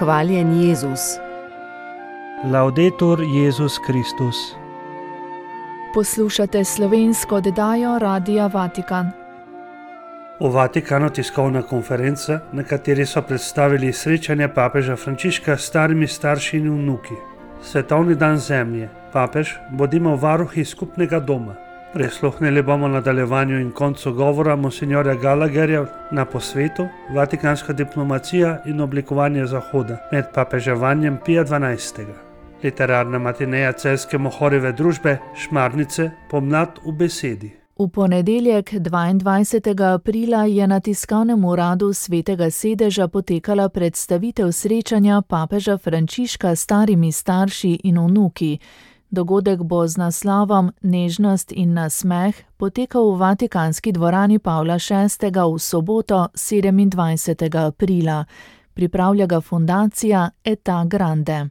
Hvaljen Jezus. Laudetur Jezus Kristus. Poslušate slovensko oddajo Radia Vatikan. V Vatikanu tiskovna konferenca, na kateri so predstavili srečanje papeža Frančiška s starimi starši in vnuki. Svetovni dan zemlje. Papež, bodimo varuhi skupnega doma. Prisluhnili bomo nadaljevanju in koncu govora monsinjorja Gallagherja na posvetu Vatikanska diplomacija in oblikovanje Zahoda med papeževanjem Pija XII. Literarna matineja celjske Mohorjeve družbe Šmarnice Pomlad v besedi. V ponedeljek 22. aprila je na tiskovnem uradu Svetega sedeža potekala predstavitev srečanja papeža Frančiška s starimi starši in vnuki. Dogodek bo z naslovom Nežnost in nasmeh potekal v Vatikanski dvorani Pavla VI. V soboto 27. aprila. Pripravlja ga fundacija Eta Grande.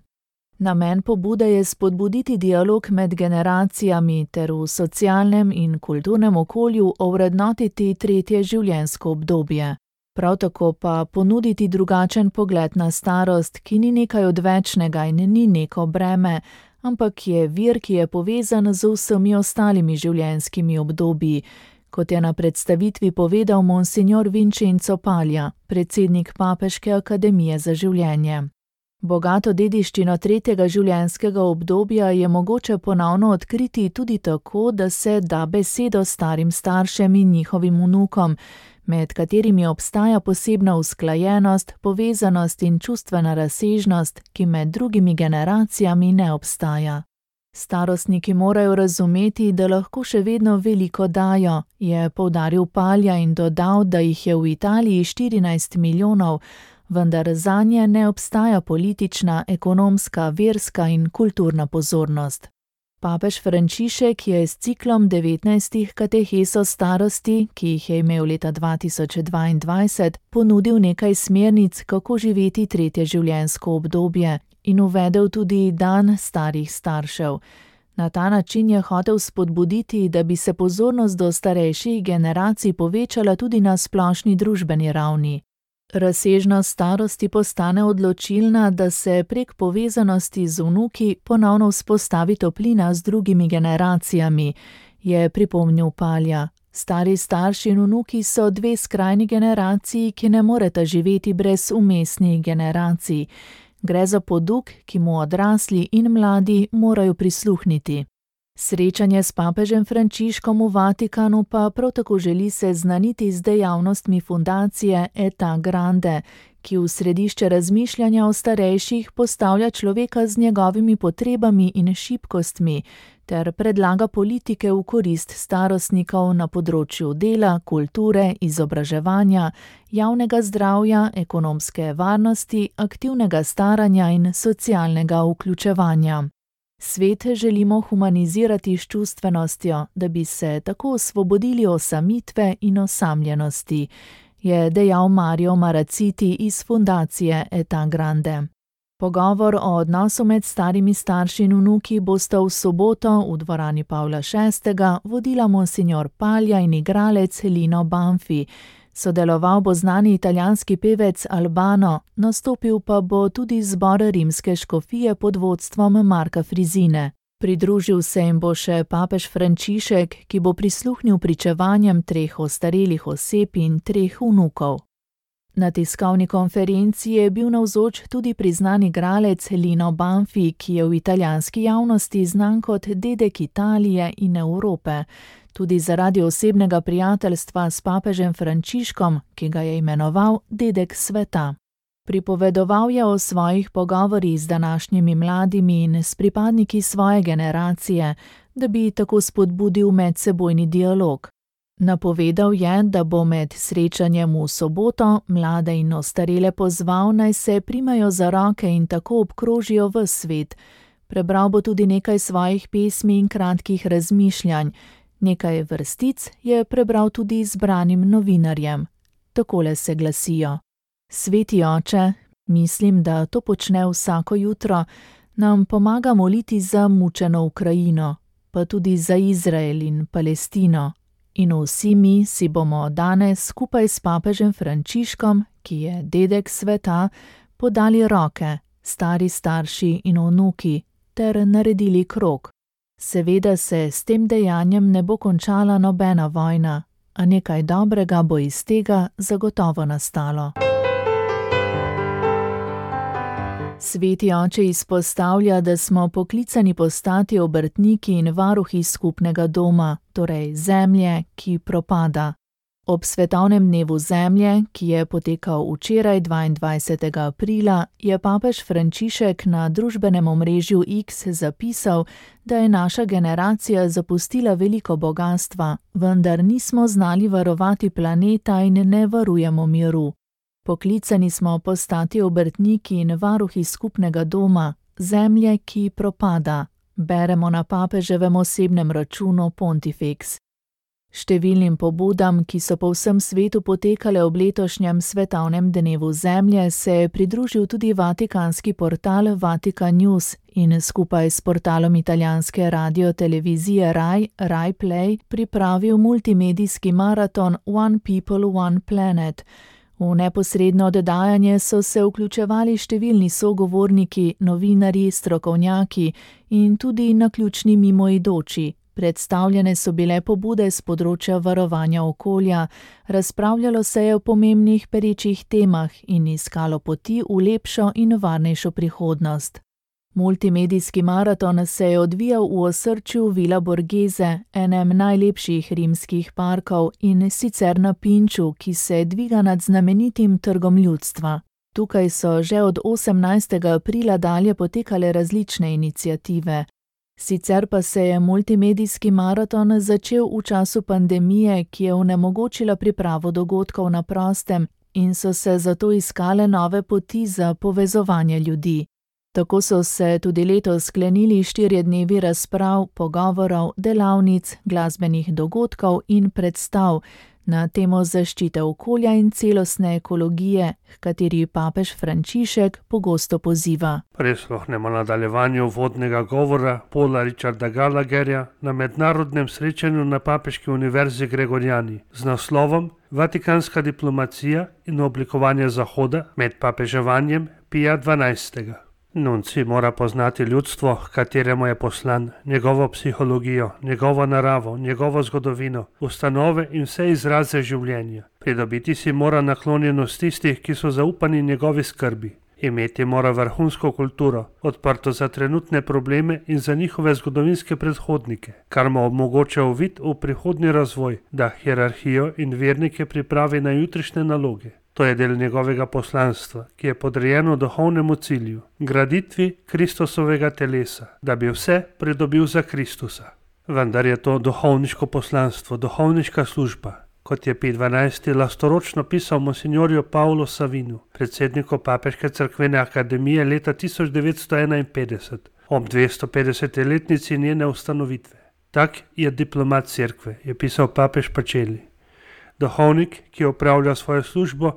Namen pobude je spodbuditi dialog med generacijami ter v socialnem in kulturnem okolju ovrednotiti tretje življenjsko obdobje. Prav tako pa ponuditi drugačen pogled na starost, ki ni nekaj odvečnega in ni neko breme, ampak je vir, ki je povezan z vsemi ostalimi življenjskimi obdobji, kot je na predstavitvi povedal monsinjor Vincenzo Paglia, predsednik Papeške akademije za življenje. Bogato dediščino tretjega življenjskega obdobja je mogoče ponovno odkriti tudi tako, da se da besedo starim staršem in njihovim vnukom, med katerimi obstaja posebna usklajenost, povezanost in čustvena razsežnost, ki med drugimi generacijami ne obstaja. Starostniki morajo razumeti, da lahko še vedno veliko dajo, je poudaril Paglia in dodal, da jih je v Italiji 14 milijonov, vendar zanje ne obstaja politična, ekonomska, verska in kulturna pozornost. Papež Frančišek je s ciklom 19 katehes o starosti, ki jih je imel leta 2022, ponudil nekaj smernic, kako živeti tretje življenjsko obdobje in uvedel tudi dan starih staršev. Na ta način je hotel spodbuditi, da bi se pozornost do starejših generacij povečala tudi na splošni družbeni ravni. Razsežnost starosti postane odločilna, da se prek povezanosti z vnuki ponovno vzpostavi toplina z drugimi generacijami, je pripomnil Paglia. Stari starši in vnuki so dve skrajni generaciji, ki ne moreta živeti brez vmesnih generacij. Gre za poduk, ki mu odrasli in mladi morajo prisluhniti. Srečanje s papežem Frančiškom v Vatikanu pa prav tako želi seznaniti z dejavnostmi fundacije Eta Grande, ki v središče razmišljanja o starejših postavlja človeka z njegovimi potrebami in šibkostmi ter predlaga politike v korist starostnikov na področju dela, kulture, izobraževanja, javnega zdravja, ekonomske varnosti, aktivnega staranja in socialnega vključevanja. Svet želimo humanizirati s čustvenostjo, da bi se tako osvobodili osamitve in osamljenosti, je dejal Mario Maraciti iz fundacije Eta Grande. Pogovor o odnosu med starimi starši in vnuki bosta v soboto v dvorani Pavla VI. Vodila monsinjor Paglia in igralec Lino Banfi. Sodeloval bo znani italijanski pevec Albano, nastopil pa bo tudi zbor rimske škofije pod vodstvom Marka Frizine. Pridružil se jim bo še papež Frančišek, ki bo prisluhnil pričevanjem 3 ostarelih oseb in 3 vnukov. Na tiskovni konferenci je bil navzoč tudi priznan igralec Lino Banfi, ki je v italijanski javnosti znan kot dedek Italije in Evrope, tudi zaradi osebnega prijateljstva s papežem Frančiškom, ki ga je imenoval dedek sveta. Pripovedoval je o svojih pogovorih z današnjimi mladimi in s pripadniki svoje generacije, da bi tako spodbudil medsebojni dialog. Napovedal je, da bo med srečanjem v soboto mlade in ostarele pozval, naj se primajo za roke in tako obkrožijo ves svet. Prebral bo tudi nekaj svojih pesmi in kratkih razmišljanj. Nekaj vrstic je prebral tudi izbranim novinarjem. Takole se glasijo. Sveti oče, mislim, da to počne vsako jutro, nam pomaga moliti za mučeno Ukrajino, pa tudi za Izrael in Palestino. In vsi mi si bomo danes skupaj s papežem Frančiškom, ki je dedek sveta, podali roke, stari starši in vnuki, ter naredili krog. Seveda se s tem dejanjem ne bo končala nobena vojna, a nekaj dobrega bo iz tega zagotovo nastalo. Sveti oče izpostavlja, da smo poklicani postati obrtniki in varuhi skupnega doma, torej zemlje, ki propada. Ob svetovnem dnevu zemlje, ki je potekal včeraj 22. aprila, je papež Frančišek na družbenem omrežju X zapisal, da je naša generacija zapustila veliko bogastva, vendar nismo znali varovati planeta in ne varujemo miru. Poklicani smo postati obrtniki in varuhi skupnega doma, zemlje, ki propada, beremo na papeževem osebnem računu Pontifex. Številnim pobudam, ki so po vsem svetu potekale ob letošnjem svetovnem dnevu zemlje, se je pridružil tudi vatikanski portal Vatican News in skupaj s portalom italijanske radiotelevizije Rai Play pripravil multimedijski maraton One People, One Planet. V neposredno oddajanje so se vključevali številni sogovorniki, novinarji, strokovnjaki in tudi naključni mimoidoči. Predstavljene so bile pobude z področja varovanja okolja, razpravljalo se je o pomembnih perečih temah in iskalo poti v lepšo in varnejšo prihodnost. Multimedijski maraton se je odvijal v osrčju Villa Borghese, enem najlepših rimskih parkov, in sicer na Pinču, ki se dviga nad znamenitim trgom ljudstva. Tukaj so že od 18. aprila dalje potekale različne iniciative. Sicer pa se je multimedijski maraton začel v času pandemije, ki je onemogočila pripravo dogodkov na prostem in so se zato iskale nove poti za povezovanje ljudi. Tako so se tudi letos sklenili 4 dnevi razprav, pogovorov, delavnic, glasbenih dogodkov in predstav na temo zaščite okolja in celostne ekologije, h kateri papež Frančišek pogosto poziva. Prisluhnemo nadaljevanju vodnega govora Paula Richarda Gallagherja na mednarodnem srečanju na Papeški univerzi Gregoriani z naslovom Vatikanska diplomacija in oblikovanje Zahoda med papeževanjem Pija XII. Nunci mora poznati ljudstvo, kateremu je poslan, njegovo psihologijo, njegovo naravo, njegovo zgodovino, ustanove in vse izraze življenja. Pridobiti si mora naklonjenost tistih, ki so zaupani njegovi skrbi. Imeti mora vrhunsko kulturo, odprto za trenutne probleme in za njihove zgodovinske predhodnike, kar mu omogoča uvid v prihodnji razvoj, da hierarhijo in vernike pripravi na jutrišnje naloge. To je del njegovega poslanstva, ki je podrejeno duhovnemu cilju, graditvi Kristusovega telesa, da bi vse pridobil za Kristusa. Vendar je to duhovniško poslanstvo, duhovniška služba, kot je Pij XII. Lastoročno pisal monsignorju Paolo Savinu, predsedniku Papeške cerkvene akademije leta 1951, ob 250-letnici njene ustanovitve. Tak je diplomat cerkve, je pisal papež Pacelli. Duhovnik, ki opravlja svojo službo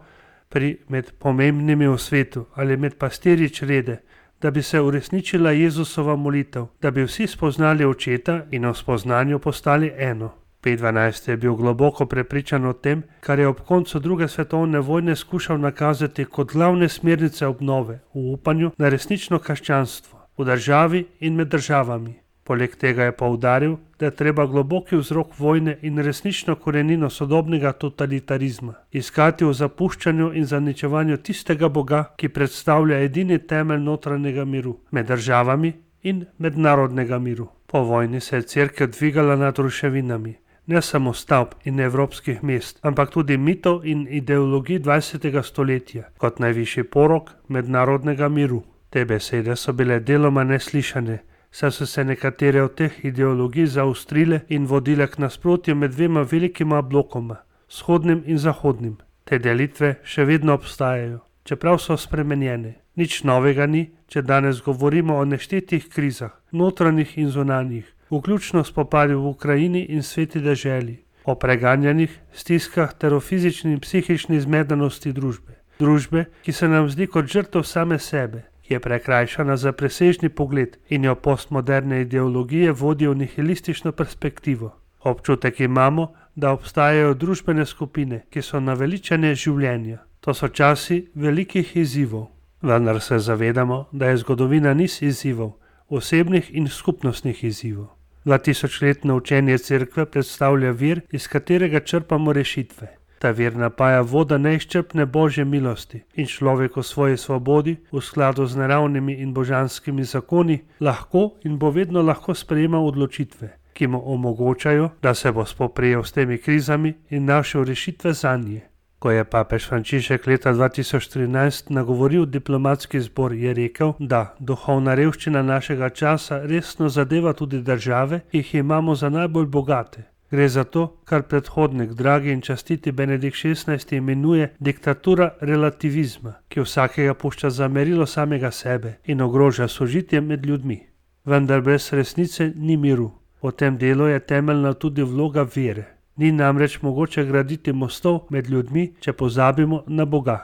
med pomembnimi v svetu ali med pastirji črede, da bi se uresničila Jezusova molitev, da bi vsi spoznali Očeta in v spoznanju postali eno. Pij XII. Je bil globoko prepričan o tem, kar je ob koncu druge svetovne vojne skušal nakazati kot glavne smernice obnove v upanju na resnično krščanstvo v državi in med državami. Poleg tega je poudaril, da je treba globoki vzrok vojne in resnično korenino sodobnega totalitarizma iskati v zapuščanju in zaničevanju tistega Boga, ki predstavlja edini temelj notranjega miru med državami in mednarodnega miru. Po vojni se je cerkev dvigala nad ruševinami, ne samo stavb in evropskih mest, ampak tudi mitov in ideologij 20. stoletja kot najvišji porok mednarodnega miru. Te besede so bile deloma neslišane, saj so se nekatere od teh ideologij zaostrile in vodile k nasprotju med dvema velikima blokoma, vzhodnim in zahodnim. Te delitve še vedno obstajajo, čeprav so spremenjene. Nič novega ni, če danes govorimo o neštetih krizah, notranjih in zunanjih, vključno spopadi v Ukrajini in sveti deželi, o preganjanjih, stiskah ter o fizični in psihični zmedenosti družbe. Družbe, ki se nam zdi kot žrtev same sebe, ki je prekrajšana za presežni pogled in jo postmoderne ideologije vodijo v nihilistično perspektivo. Občutek imamo, da obstajajo družbene skupine, ki so naveličane življenja. To so časi velikih izzivov. Vendar se zavedamo, da je zgodovina niz izzivov, osebnih in skupnostnih izzivov. 2000-letno učenje cerkve predstavlja vir, iz katerega črpamo rešitve. Ta vir napaja voda neizčrpne božje milosti in človek v svoji svobodi, v skladu z naravnimi in božanskimi zakoni, lahko in bo vedno lahko sprejemal odločitve, ki mu omogočajo, da se bo spoprijel s temi krizami in našel rešitve zanje. Ko je papež Frančišek leta 2013 nagovoril diplomatski zbor, je rekel, da duhovna revščina našega časa resno zadeva tudi države, ki jih imamo za najbolj bogate. Gre za to, kar predhodnik dragi in častiti Benedikt XVI imenuje diktatura relativizma, ki vsakega pušča za merilo samega sebe in ogroža sožitje med ljudmi. Vendar brez resnice ni miru. V tem delu je temeljna tudi vloga vere. Ni namreč mogoče graditi mostov med ljudmi, če pozabimo na Boga.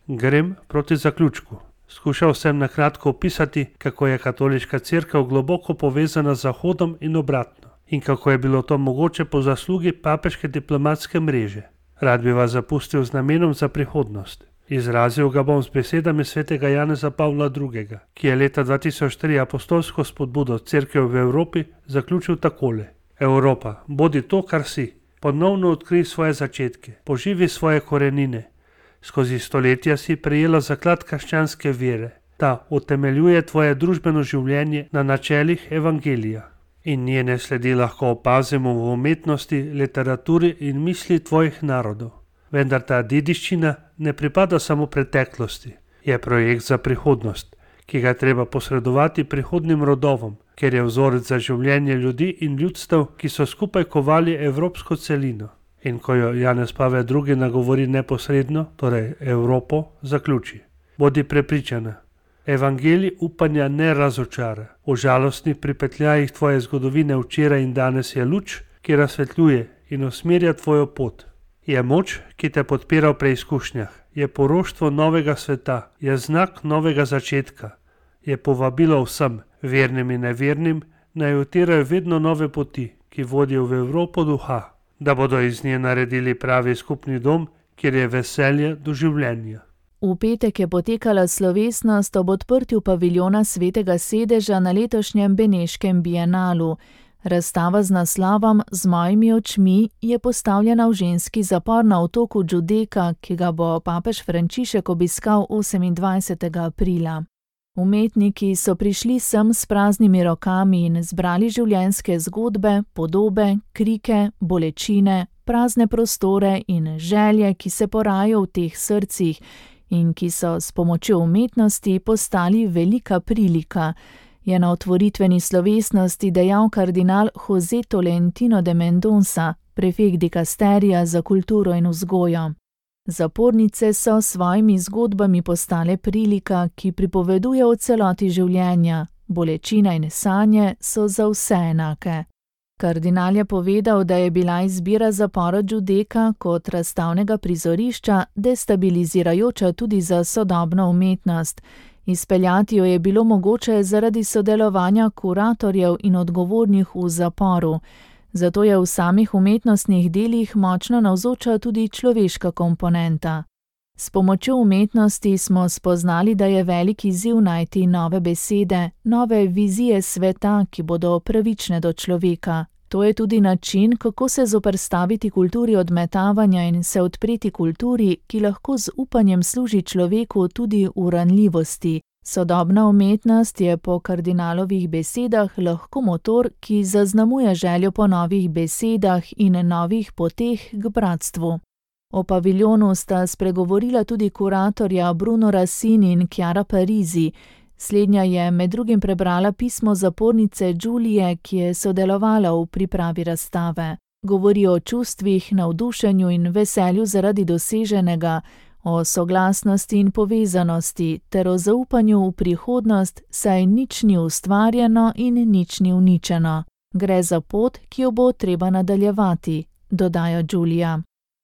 Grem proti zaključku. Skušal sem na kratko opisati, kako je katoliška cerkev globoko povezana z Zahodom in obratno, in kako je bilo to mogoče po zaslugi papeške diplomatske mreže. Rad bi vas zapustil z namenom za prihodnost. Izrazil ga bom z besedami svetega Janeza Pavla II., ki je leta 2003 apostolsko spodbudo cerkev v Evropi zaključil takole: Evropa, bodi to, kar si. Ponovno odkrij svoje začetke, poživi svoje korenine. Skozi stoletja si prejela zaklad krščanske vere. Ta utemeljuje tvoje družbeno življenje na načelih evangelija. In njene sledi lahko opazimo v umetnosti, literaturi in misli tvojih narodov. Vendar ta dediščina ne pripada samo preteklosti. Je projekt za prihodnost, ki ga treba posredovati prihodnim rodovom, ker je vzorec za življenje ljudi in ljudstev, ki so skupaj kovali evropsko celino. In ko jo Janez Pavel II. Nagovori neposredno, torej Evropo, zaključi: Bodi prepričana. Evangelij upanja ne razočara. V žalostnih pripetljajih tvoje zgodovine včeraj in danes je luč, ki razsvetljuje in usmerja tvojo pot. Je moč, ki te podpira v preizkušnjah. Je poroštvo novega sveta. Je znak novega začetka. Je povabilo vsem, vernim in nevernim, naj utirajo vedno nove poti, ki vodijo v Evropo duha, da bodo iz nje naredili pravi skupni dom, kjer je veselje do življenja. V petek je potekala slovesnost ob odprtju paviljona Svetega sedeža na letošnjem Beneškem bienalu. Razstava z naslovom Z mojimi očmi je postavljena v ženski zapor na otoku Giudecca, ki ga bo papež Frančišek obiskal 28. aprila. Umetniki so prišli sem s praznimi rokami in zbrali življenjske zgodbe, podobe, krike, bolečine, prazne prostore in želje, ki se porajajo v teh srcih in ki so s pomočjo umetnosti postali velika prilika, je na otvoritveni slovesnosti dejal kardinal José Tolentino de Mendoza, prefekt dikasterija za kulturo in vzgojo. Zapornice so s svojimi zgodbami postale prilika, ki pripoveduje o celoti življenja. Bolečina in sanje so za vse enake. Kardinal je povedal, da je bila izbira zapora Giudecca kot razstavnega prizorišča destabilizirajoča tudi za sodobno umetnost. Izpeljati jo je bilo mogoče zaradi sodelovanja kuratorjev in odgovornih v zaporu. Zato je v samih umetnostnih delih močno navzoča tudi človeška komponenta. S pomočjo umetnosti smo spoznali, da je velik izziv najti nove besede, nove vizije sveta, ki bodo pravične do človeka. To je tudi način, kako se zoperstaviti kulturi odmetavanja in se odpreti kulturi, ki lahko z upanjem služi človeku tudi v ranljivosti. Sodobna umetnost je po kardinalovih besedah lahko motor, ki zaznamuje željo po novih besedah in novih poteh k bratstvu. O paviljonu sta spregovorila tudi kuratorja Bruno Rassini in Chiara Parisi. Slednja je med drugim prebrala pismo zapornice Giulie, ki je sodelovala v pripravi razstave. Govori o čustvih, navdušenju in veselju zaradi doseženega, o soglasnosti in povezanosti ter o zaupanju v prihodnost, saj nič ni ustvarjeno in nič ni uničeno. Gre za pot, ki jo bo treba nadaljevati, dodaja Giulia.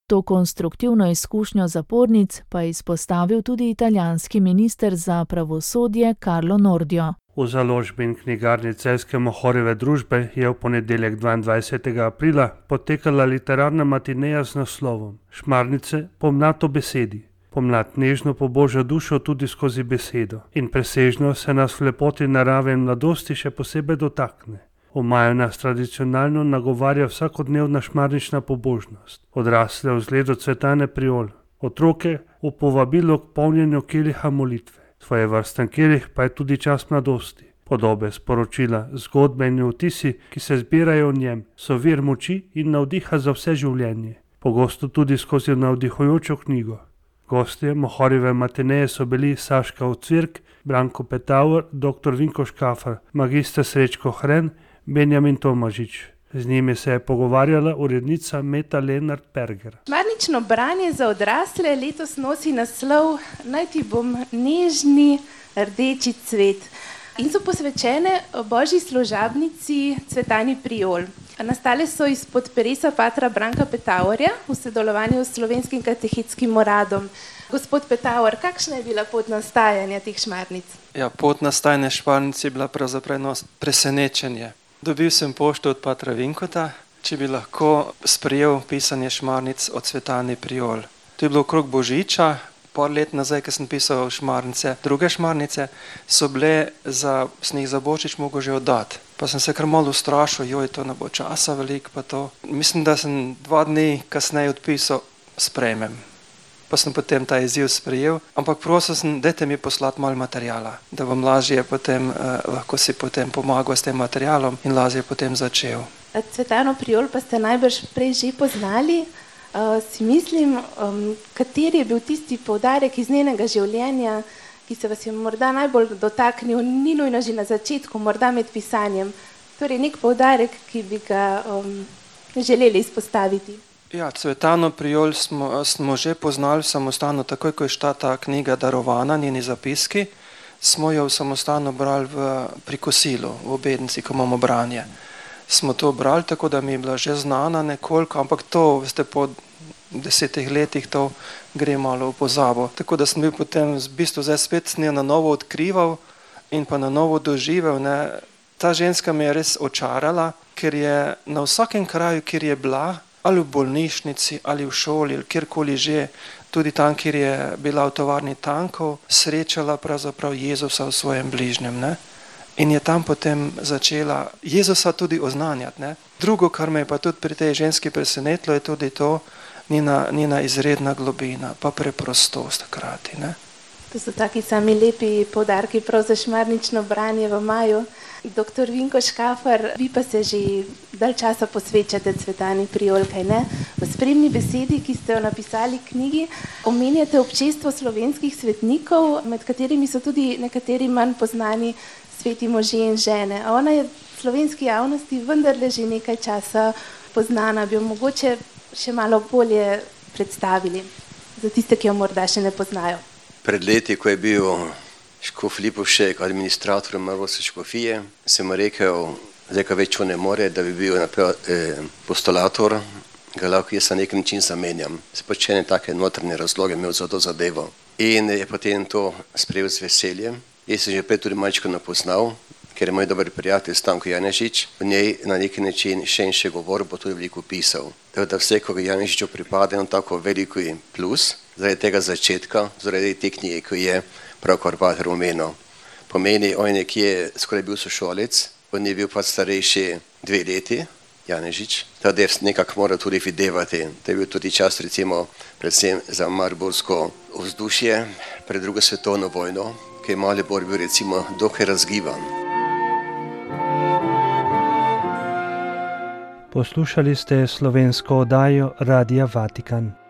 To konstruktivno izkušnjo zapornic pa je izpostavil tudi italijanski minister za pravosodje Carlo Nordio. V založbi in knjigarni Celjske Mohorjeve družbe je v ponedeljek 22. aprila potekala literarna matineja z naslovom Šmarnice pomlad o besedi. Pomlad nežno poboža dušo tudi skozi besedo in presežno se nas v lepoti narave in mladosti še posebej dotakne. V maju nas tradicionalno nagovarja vsakodnevna šmarnična pobožnost, odrasle v zgledu Cvetane Priol, otroke v povabilu k polnjenju keliha molitve. Svojevrsten kelih pa je tudi čas mladosti. Podobe, sporočila, zgodbe in vtisi, ki se zbirajo v njem, so vir moči in navdiha za vse življenje, pogosto tudi skozi navdihujočo knjigo. Gostje Mohorjeve matineje so bili Saška Ocvirk, Branko Petauer, dr. Vinko Škafar, magister Srečko Hren, Benjamin Tomažič. Z njimi se je pogovarjala urednica Meta Lenart-Perger. Šmarnično branje za odrasle letos nosi naslov Naj ti bom nežni rdeči cvet in so posvečene božji služabnici Cvetani Priol. Nastale so izpod peresa patra Branka Petauerja v sodelovanju s Slovenskim katehetskim uradom. Gospod Petauer, kakšna je bila pot nastajanja teh šmarnic? Ja, pot nastajanja šmarnic je bila pravzaprav presenečenje. Dobil sem pošto od patra Vinkota, če bi lahko sprejel pisanje šmarnic od Cvetani Priol. To je bilo okrog Božiča, par let nazaj, ko sem pisal šmarnice. Druge šmarnice so bile, sem jih za Božič mogel že oddati. Pa sem se kar malo ustrašil, to ne bo časa veliko pa to. Mislim, da sem 2 dni kasneje odpisal, sprejmem. Pa sem potem ta izziv sprejel, ampak prosil sem, dajte mi poslati malo materijala, da bom lažje potem, lahko si potem pomagal s tem materialom in lažje potem začel. Cvetano Priol pa ste najbrž prej že poznali. Si mislim, kateri je bil tisti poudarek iz njenega življenja, ki se vas je morda najbolj dotaknil, ni nujno že na začetku, morda med pisanjem. Torej nek poudarek, ki bi ga želeli izpostaviti. Ja, Cvetano Priol smo že poznali samostalno, takoj ko je šla ta knjiga darovana, njeni zapiski, smo jo samostalno brali pri kosilu, v obednici, ko imamo branje. Smo to brali, tako da mi je bila že znana nekoliko, ampak to, veste, po 10 letih to gre malo v pozabo. Tako da sem bil potem v bistvu zdaj spet s njo na novo odkrival in pa na novo doživel. Ta ženska me je res očarala, ker je na vsakem kraju, kjer je bila, ali v bolnišnici, ali v šoli, ali kjerkoli že, tudi tam, kjer je bila v tovarni tankov, srečala pravzaprav Jezusa v svojem bližnjem. In je tam potem začela Jezusa tudi oznanjati. Drugo, kar me je pa tudi pri tej ženski presenetilo, je tudi to njena izredna globina, pa preprostost hkrati. To so taki sami lepi poudarki prav za šmarnično branje v maju. Dr. Vinko Škafar, vi pa se že dalj časa posvečate Cvetani Priol, kaj ne? V spremni besedi, ki ste jo napisali v knjigi, omenjate občestvo slovenskih svetnikov, med katerimi so tudi nekateri manj poznani sveti možje in žene. A ona je v slovenski javnosti vendarle že nekaj časa poznana, bi jo mogoče še malo bolje predstavili za tiste, ki jo morda še ne poznajo. Pred leti, ko je bil škof Lipovšek administrator Marosa škofije, sem rekel, zdaj ka več ne more, da bi bil postulator, ga lahko jaz na nek način zamenjam. Spočene take notrne razloge imel za to zadevo. In je potem to sprejel z veseljem. Jaz sem že prej tudi malčko napoznal, ker je moj dober prijatelj Stanko Janežič, v njej na neki način še govor, bo tudi veliko pisal. Tako da vse, ko Janežiču pripade, on tako veliko plus, zaradi tega začetka, zaradi te knjige, ki je pravkar pater omenil. Pomeni, on je nekje skoraj bil sošolec, on je bil pa starejši 2 leti, Janežič, tako da nekako mora tudi videvati. To je bil tudi čas, recimo, predvsem za mariborsko vzdušje pred drugo svetovno vojno, ki je Maribor bil recimo dokaj razgiban. Poslušali ste slovensko oddajo Radia Vatikan.